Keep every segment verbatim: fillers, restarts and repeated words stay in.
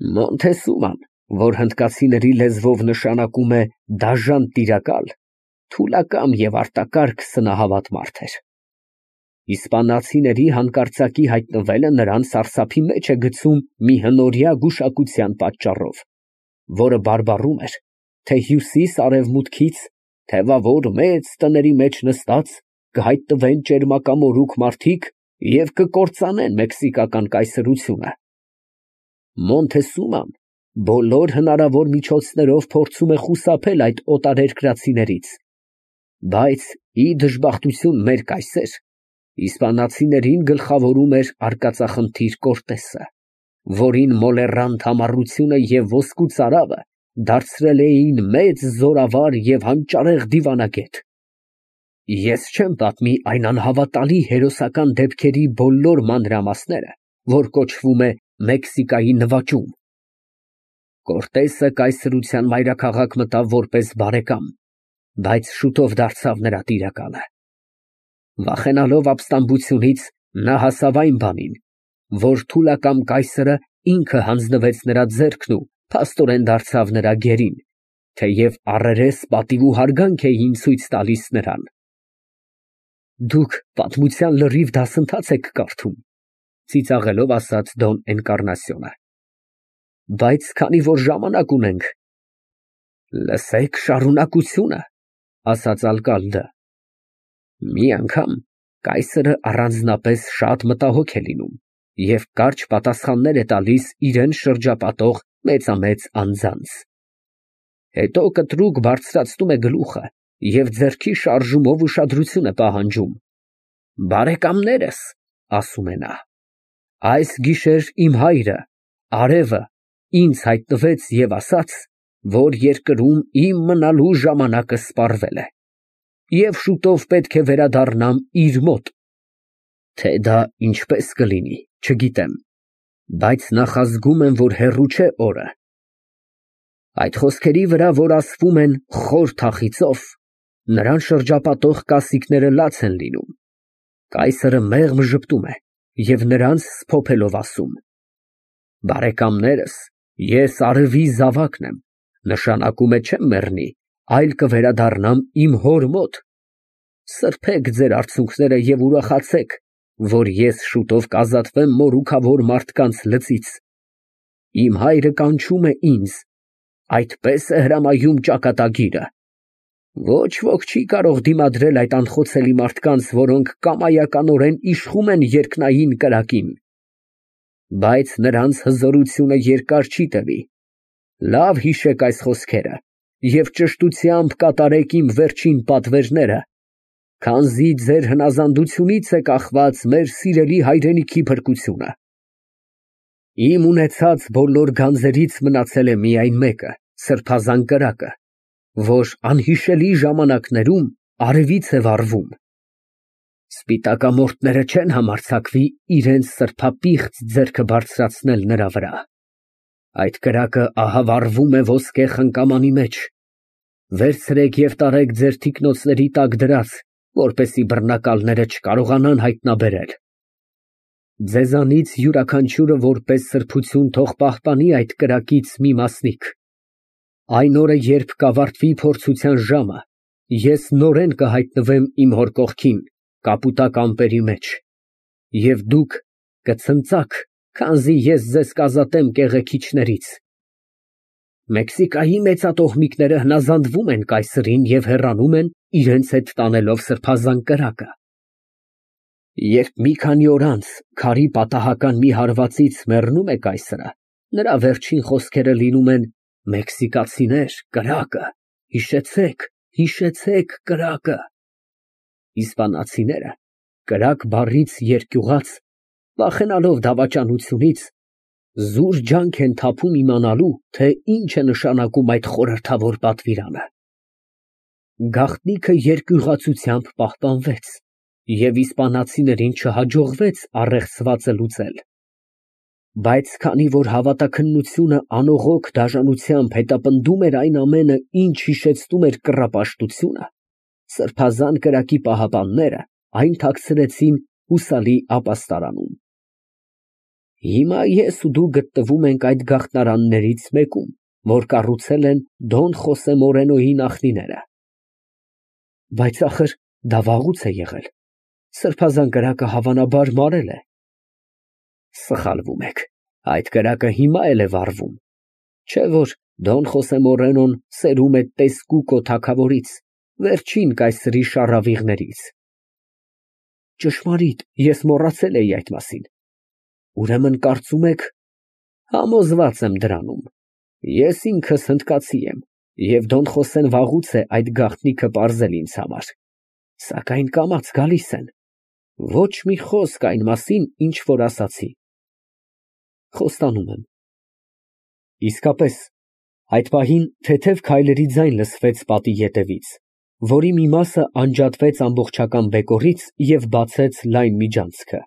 Մոնթեսուման, որ հնդկացիների լեզվով նշանակում է դաժան տիրակալ, թուլակամ և արտակարգ սնահավատ մարդ էր։ Իսպանացիների հանկարծակի հայտնվելը նրան սարսափի մեջ է գցում մի հնորյա գուշակության պատճառով, որը բարբառում էր, թե հյուսիս֊արևմուտքից թևավոր մեծ տների մեջ նստած կհայտնվեն ճերմակամորուք մարդիկ և կկործանեն մեքսիկական կայսրությունը։ Մոնթեսուման բոլոր հնարավոր միջոցներով փորձում է խուսափել այդ օտարերկրացիներից, բայց, ի դժբախտություն մեր կայսեր, իսպանացիներին գլխավորում էր արկածախնդիր Կորտեսը, որին մոլեռանդ համառությունը և ոսկու ծարավը դարձրել էին մեծ զորավար և հանճարեղ դիվանագետ։ Ես չեմ պատմի այն անհավատալի հերոսական դեպքերի բոլոր մանրամասները, որ կոչվում է Մեքսիկայի նվաճում։ Կորտեսը կայսրության մայրաքաղաք մտավ որպես բարեկամ, բայց շուտով դարձավ նրա տիրակալը։ Վախենալով ապստամբությունից, նա հասավ այն բանին, որ թուլակամ կայսրը ինքը հանձնվեց նրա ձեռքն ու փաստորեն դարձավ նրա գերին, թեև առերես պատիվ ու հարգանք էին ցույց տալիս նրան։ Դուք պատմության լրիվ դասընթաց եք կարդում, ծիծաղելով ասաց Դոն Էնկառնասիոնը, բայց քանի որ ժամանակ ունենք… Լսեք շարունակությունը, ասաց ալկալդը։ Մի անգամ կայսրը առանձնապես շատ մտահոգ է լինում և կարճ պատասխաններ է տալիս իրան շրջապատող մեծամեծ անձանց։ Հետո կտրուկ բարձրացնում է գլուխը և ձեռքի շարժումով ուշադրություն է պահանջում։ Բարեկամներս, ասում է նա, այս գիշեր իմ հայրը, արևը, ինձ հայտնվեց և ասաց, որ երկրում իմ մնալու ժամանակը սպառվել է, և շուտով պետք է վերադառնամ իր մոտ։ Թե դա ինչպես կլինի, չգիտեմ, բայց նախազգում եմ, որ հեռու չէ օրը։ Այդ խոսքերի վրա, որ ասվում են խոր թախիծով, նրան շրջապատող կասիկները լաց են լինում։ Կայսրը մեղմ ժպտում է և նրանց սփոփելով ասում. Բարեկամներս, ես արևի զավակն եմ, նշանակում է չեմ մեռնի, այլ կվերադառնամ իմ հոր մոտ։ Սրբեք ձեր արցունքները և ուրախացեք, որ ես շուտով կազատվեմ մորուքավոր մարդկանց լծից։ Իմ հայրը կանչում է ինձ, այդպես է հրամայում ճակատագիրը։ Ոչ ոք չի կարող դիմադրել այդ անխոցելի մարդկանց, որոնք կամայականորեն իշխում են երկնային կրակին։ Բայց նրանց հզորությունը երկար չի տևի։ Լավ հիշեք այս խոսքերը և ճշտությամբ կատարեք իմ վերջին պատվերները, քանզի ձեր հնազանդությունից է կախված մեր սիրելի հայրենիքի փրկությունը։ Իմ ունեցած բոլոր գանձերից մնացել է միայն մեկը՝ սրբազան կրակը, որ անհիշելի ժամանակներում արևից է վառվում։ Սպիտակամորթները չեն համարձակվի իրենց սրբապիղծ ձեռքը բարձրացնել նրա վրա։ Այդ կրակը ահա վառվում է ոսկե խնկամանի մեջ։ Վերցրեք և տարեք ձեր թիկնոցների տակ դրած, որպեսզի բռնակալները չկարողանան հայտնաբերել։ Ձեզանից յուրաքանչյուրը որպես սրբություն թող պահպանի այդ կրակից մի մասնիկ։ Այն օրը, երբ կավարտվի փորձության ժամը, ես նորեն կհայտնվեմ իմ հոր կողքին, կապուտակ ամպերի մեջ, և դուք կցնծաք, քանզի ես ձեզ կազատեմ կեղեքիչներից։ Մեքսիկայի մեծատոհմիկները հնազանդվում են կայսրին և հեռանում են, իրենց հետ տանելով սրբազան կրակը։ Երբ մի քանի օր անց քարի պատահական մի հարվածից մեռնում է կայսրը, նրա վերջին խոսքերը լինում են. «Մեքսիկացիներ, կրակը, հիշեցեք, հիշեցեք կրակը»։ Իսպանացիները, կրակ բառից երկյուղած, վախենալով դավաճանությունից, զուր ջանք են թափում իմանալու, թե ինչ է նշանակում այդ խորհրդավոր պատվիրանը։ Գաղտնիքը երկյուղածությամբ պահպանվեց, և իսպանացիներին չհաջողվեց առեղծվածը լուծել։ Բայց քանի որ հավատաքննությունը անողոք դաժանությամբ հետապնդում էր այն ամենը, ինչ հիշեցնում էր կռապաշտությունը, սրբազան կրակի պահապանները այն թաքցրեցին հուսալի ապաստարանում։ Հիմա ես ու դու գտնվում ենք այդ գաղտնարաններից մեկում, որ կառուցել են Դոն Խոսե Մորենոյի նախնիները։ Բայց ախր դա վաղուց է եղել, սրբազան կրակը հավանաբար մարել է։ Սխալվում եք, այդ կրակը հիմա էլ է վառվում, չէ՞ որ Դոն Խոսե Մորենոն սերում է Տեսկուկո թագավորից, վերջին կայսրի շառավիղներից։ Ճշմարիտ, ես մոռացել էի այդ մասին։ Ուրեմն կարծում եք… Համոզված եմ դրանում, ես ինքս հնդկացի եմ, և Դոն Խոսեն վաղուց է այդ գաղտնիքը պարզել ինձ համար, սակայն կամաց գալիս են, ոչ մի խոսք այն մասին, ինչ որ ասացի։ Խոստանում եմ։ Իսկապես, այդ պահին թեթև քայլերի ձայն լսվեց պատի ետևից, որի մի մասը անջատվեց ամբողջական բեկորից և բացեց լայն միջանցքը։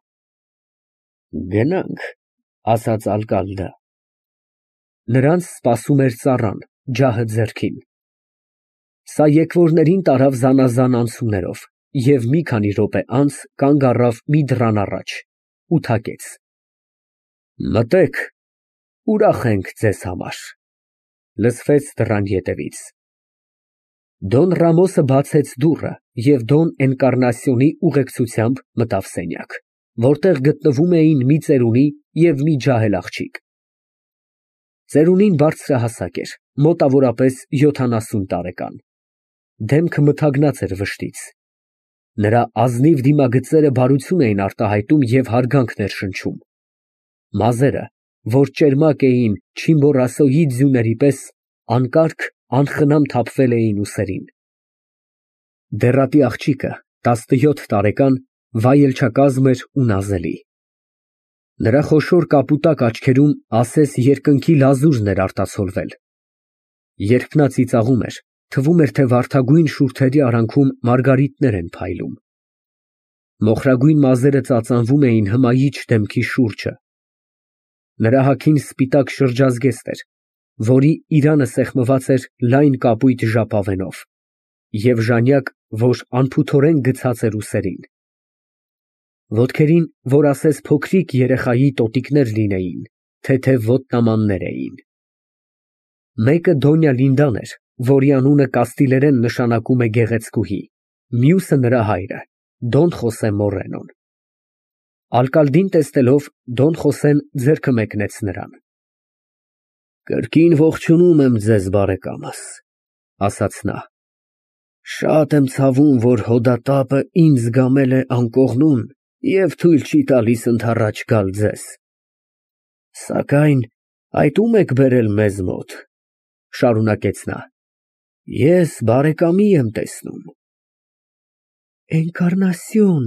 Գնանք, ասաց ալկալդը։ Նրանց սպասում էր ծառան, ջահը ձեռքին։ Սա եկվորներին տարավ զանազան անցումներով և մի քանի րոպե անց կանգ առավ մի դռան առաջ ու թակեց։ Մտեք, ուրախ ենք ձեզ համար, լսվեց դռան ետևից։ Դոն Ռամոսը բացեց դուռը և Դոն Էնկառնասիոնի ուղեկցությամբ մտավ սենյակ, որտեղ գտնվում էին մի ծերունի և մի ջահել աղջիկ։ Ծերունին բարձրահասակ էր, մոտավորապես յոթանասուն տարեկան, դեմքը մթագնած էր վշտից, նրա ազնիվ դիմագծերը բարություն էին արտահայտում և հարգանք ներշնչում, մազերը, որ ճերմակ էին Չիմբոռասոյի ձյուների պես, անկարգ, անխնամ թափվել էին ուսերին։ Դեռատի աղջիկը, տասնյոթ տարեկան, վայելչակազմ էր ու նազելի։ Նրա խոշոր կապուտակ աչքերում ասես երկնքի լազուրն էր արտացոլվել։ Երբ նա ծիծաղում էր, թվում էր, թե վարդագույն շուրթերի արանքում մարգարիտներ են փայլում։ Մոխրագույն մազերը ծածանվում էին հմայիչ դեմքի շուրջը։ Նրա հագին սպիտակ շրջազգեստ էր, որի իրանը սեղմված էր լայն կապույտ ժապավենով, և ժանյակ, որ անփութորեն գցած էր ուսերին։ Ոտքերին, որ ասես փոքրիկ երեխայի տոտիկներ լինեին, թեթև ոտնամաններ էին։ Մեկը Դոնյա Լինդան էր, որի անունը կաստիլերեն նշանակում է գեղեցկուհի, մյուսը նրա հայրը, Դոն Խոսե Մորենոն։ Ալկալդին տեսնելով, Դոն Խոսեն ձեռքը մեկնեց նրան։ Կրկին ողջունում եմ ձեզ, բարեկամս, ասաց նա։ Շատ եմ ցավում, որ հոդատապը ինձ գամել է անկողնուն և թույլ չի տալիս ընդառաջ գալ ձեզ։ Սակայն այդ ո՞ւմ եք բերել մեզ մոտ, շարունակեց նա։ Ես բարեկամի եմ տեսնում։ Էնկառնասիոն,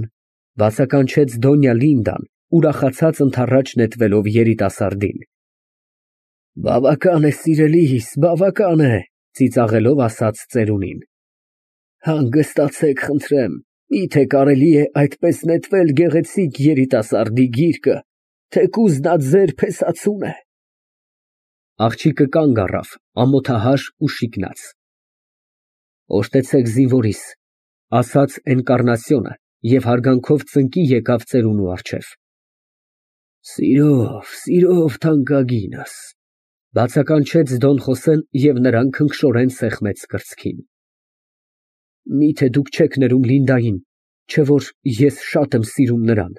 բացականչեց Դոնյա Լինդան, ուրախացած ընդառաջ նետվելով երիտասարդին։ Բավական է, սիրելիս, բավական է, ծիծաղելով ասաց ծերունին։ Հանգստացեք, խնդրեմ, միթե կարելի է այդպես նետվել գեղեցիկ երիտասարդի գիրկը, թեկուզ նա ձեր փեսացուն է։ Աղջիկը կանգ առավ, ամոթահար ու շիկնած։ Օժտեցեք զինվորիս, ասաց Էնկառնասիոնը և հարգանքով ծնկի եկավ ծերունու առջև։ Սիրով, սիրով թանկագինս, բացականչեց Դոն Խոսեն և նրան քնքշորեն սեղմեց կրծքին։ Միթե դուք չեք ներում Լինդային, չէ՞ որ ես շատ եմ սիրում նրան։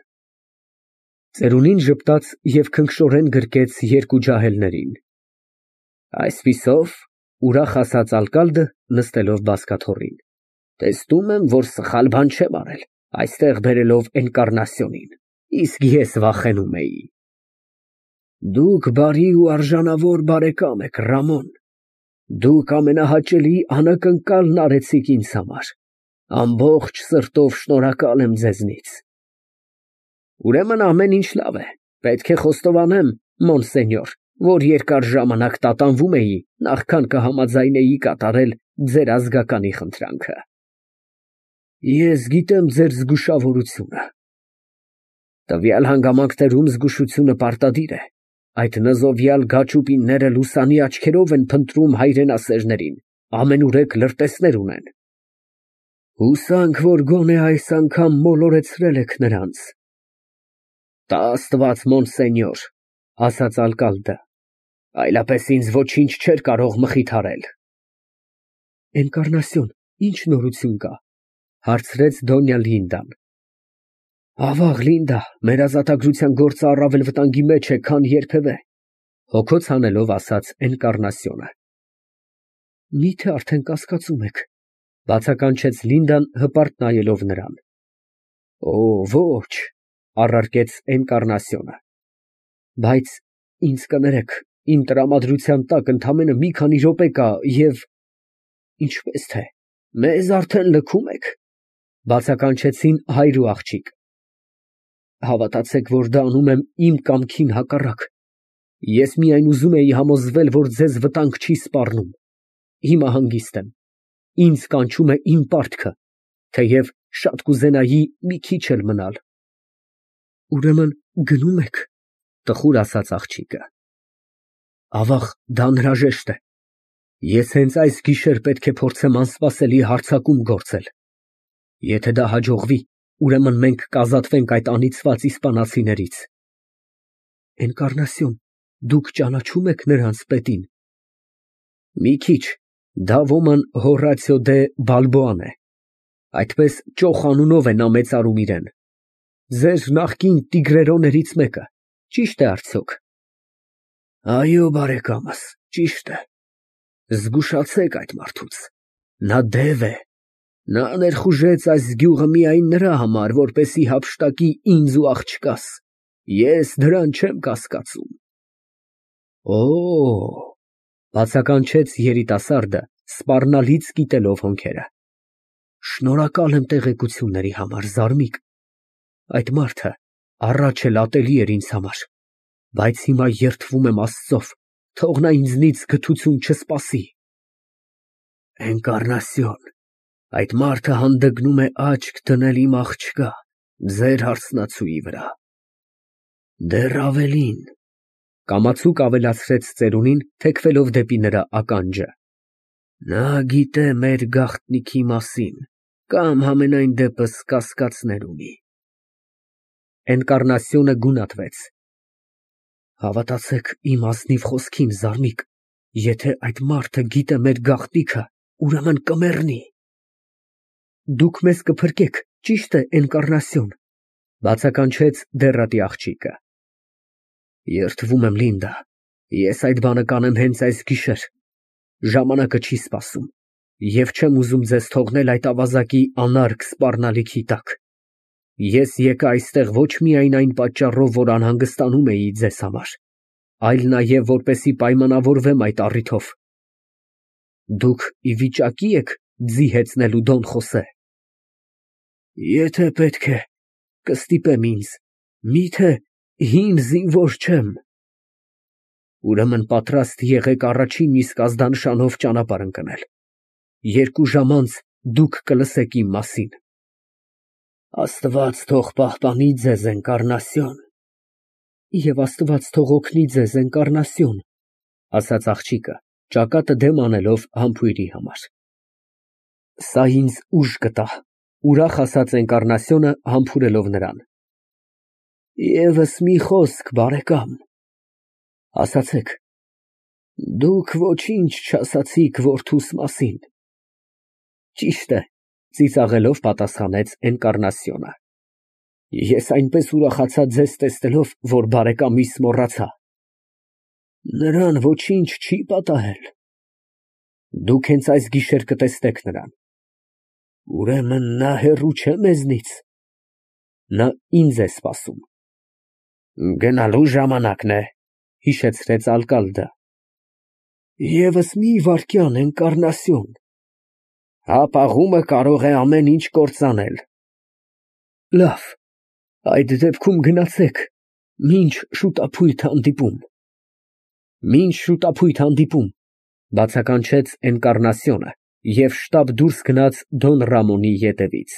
Ծերունին ժպտաց և քնքշորեն գրկեց երկու ջահելներին։ Այսպիսով, ուրախ ասաց ալկալդը, նստելով բազկաթոռին, տեսնում եմ, որ սխալ բան չեմ արել, այստեղ բերելով Էնկառնասիոնին, իսկ ես վախենում էի։ Դուք բարի ու արժանավոր բարեկամ եք, Ռամոն, դուք ամենահաճելի անակնկալն արեցիք ինձ համար, ամբողջ սրտով շնորհակալ եմ ձեզնից։ Ուրեմն ամեն ինչ լավ է, պետք է խոստովանեմ, մոնսենյոր, որ երկար ժամանակ տատանվում էի, նախքան կհամաձայնեի կատարել ձեր ազգականի խնդրանքը։ Ես գիտեմ ձեր զգուշավորությունը։ Տվյալ հանգամանքներում զգուշությունը պարտադիր է, այդ նզովյալ գաճուպինները լուսանի աչքերով են փնտրում հայրենասերներին, ամենուրեք լրտեսներ ունեն։ Հուսանք, որ գոնե այս անգամ մոլորեցրել եք նրանց։ Տա Աստված, մոնսենյոր, ասաց ալկալդը, այլապես ինձ ոչինչ չէր կարող մխիթարել։ Էնկառնասիոն, ի՞նչ նորություն կա, հարցրեց Դոնյա Լինդան։ Ավաղ, Լինդա, մեր ազատագրության գործը առավել վտանգի մեջ է, քան երբևէ, հոգոց հանելով ասաց Էնկառնասիոնը։ Մի՞թե արդեն կասկածում եք, բացականչեց Լինդան հպարտ նայելով նրան։ Օ, ոչ, առարկեց Էնկառնասիոնը, բայց ինձ կներեք, իմ տրամադրության տակ ընդամենը մի քանի րոպե կա և… Ինչպես թե, մեզ արդեն լքում եք, բացականչեցին հայր ու աղջիկ։ Հավատացեք, որ դա անում եմ իմ կամքին հակառակ, ես միայն ուզում էի համոզվել, որ ձեզ վտանգ չի սպառնում, հիմա հանգիստ եմ, ինձ կանչում է իմ պարտքը, թեև շատ կուզենայի մի քիչ էլ մնալ։ Ուրեմն գնո՞ւմ եք, տխուր ասաց աղջիկը։ Ավաղ, դա անհրաժեշտ է, ես հենց այս գիշեր պետք է փորձեմ անսպասելի հարձակում գործել, եթե դա հաջողվի, ուրեմն մենք կազատվենք այդ անիծված իսպանացիներից։ Էնկառնասիոն, դուք ճանաչո՞ւմ եք նրանց պետին։ Մի քիչ, դա ոման Հորացիո դե Բալբոան է, այդպես ճոխ անունով է նա մեծարում իրեն։ Ձեր նախկին տիգրերոներից մեկը, ճի՞շտ է արդյոք։ Այո, բարեկամս, ճիշտ է։ Զգուշացեք այդ մարդուց, նա դև է, նա ներխուժեց այս գյուղը միայն նրա համար, որպեսզի հափշտակի ինձ ու աղջկաս, ես դրան չեմ կասկածում։ Օ, բացականչեց երիտասարդը, սպառնալից կիտելով հոնքերը։ Շնորհակալ եմ տեղեկությունների համար, Զարմիկ, այդ մարդը առաջ էլ ատելի էր ինձ համար, բայց հիմա երդվում եմ Աստծով, թող նա ինձնից գթություն չսպասի։ Էնկառնասիոն, այդ մարդը հանդգնում է աչք դնել իմ աղջկա, ձեր հարսնացուի վրա։ Դեռ ավելին, կամացուկ ավելացրեց ծերունին, թեքվելով դեպի նրա ականջը, նա գիտե մեր գաղտնիքի մասին, կամ համենայն դեպս կասկածներ ունի։ Էնկառնասիոնը գունատվեց։ Հավատացեք իմ ազնիվ խոսքին, Զարմիկ, եթե այդ մարդը գիտե մեր գաղտնիքը, ուրեմն կմեռնի։ Դուք մեզ կփրկեք, ճիշտ է, Էնկառնասիոն, բացականչեց դեռատի աղջիկը։ Երդվում եմ, Լինդա, ես այդ բանը կանեմ հենց այս գիշեր, ժամանակը չի սպասում, և չեմ ուզում ձեզ թողնել այդ ավազակի անարգ սպառնալիքի տակ։ Ես եկա այստեղ ոչ միայն այն պատճառով, որ անհանգստանում էի ձեզ համար, այլ նաև որպեսզի պայմանավորվեմ այդ առիթով։ Դուք ի վիճակի եք ձի հեծնելու Դոն Խոսե։ Եթե պետք է, կստիպեմ ինձ, միթե հին զինվոր չեմ։ Ուրեմն պատրաստ եղեք առաջին իսկ ազդանշանով ճանապարհ ընկնել։ Երկու ժամ անց դուք կլսեք իմ մասին։ Աստված թող պահպանի ձեզ, Էնկառնասիոն։ Եվ Աստված թող օգնի ձեզ, Էնկառնասիոն, ասաց աղջիկը, ճակատը դեմ անելով համբույրի համար։ Սա ինձ ուժ կտա, ուրախ ասաց Էնկառնասիոնը, համբուրելով նրան։ Եվս մի խոսք, բարեկամ, ասացեք, դուք ոչինչ չասացիք որդուս մասին։ Ճիշտ է, ծիծաղելով պատասխանեց Էնկառնասիոնը։ Ես այնպես ուրախացա ձեզ տեսնելով, որ բարեկամիս մոռացա։ Նրան ոչինչ չի պատահել։ Դուք հենց այս գիշեր կտեսնեք նրան։ Ուրեմն նա հեռու չէ մեզնից։ Նա ինձ է սպասում։ Գնալու ժամանակն է, հիշեցրեց ալկալդը։ Եվս մի վայրկյան, Էնկառնասիոն։ Հապաղումը կարող է ամեն ինչ կործանել։ Լավ, այդ դեպքում գնացեք, մինչ շուտափույթ հանդիպում։ Մինչ շուտափույթ հանդիպում, բացականչեց Էնկառնասիոնը և շտապ դուրս գնաց Դոն Ռամոնի ետևից։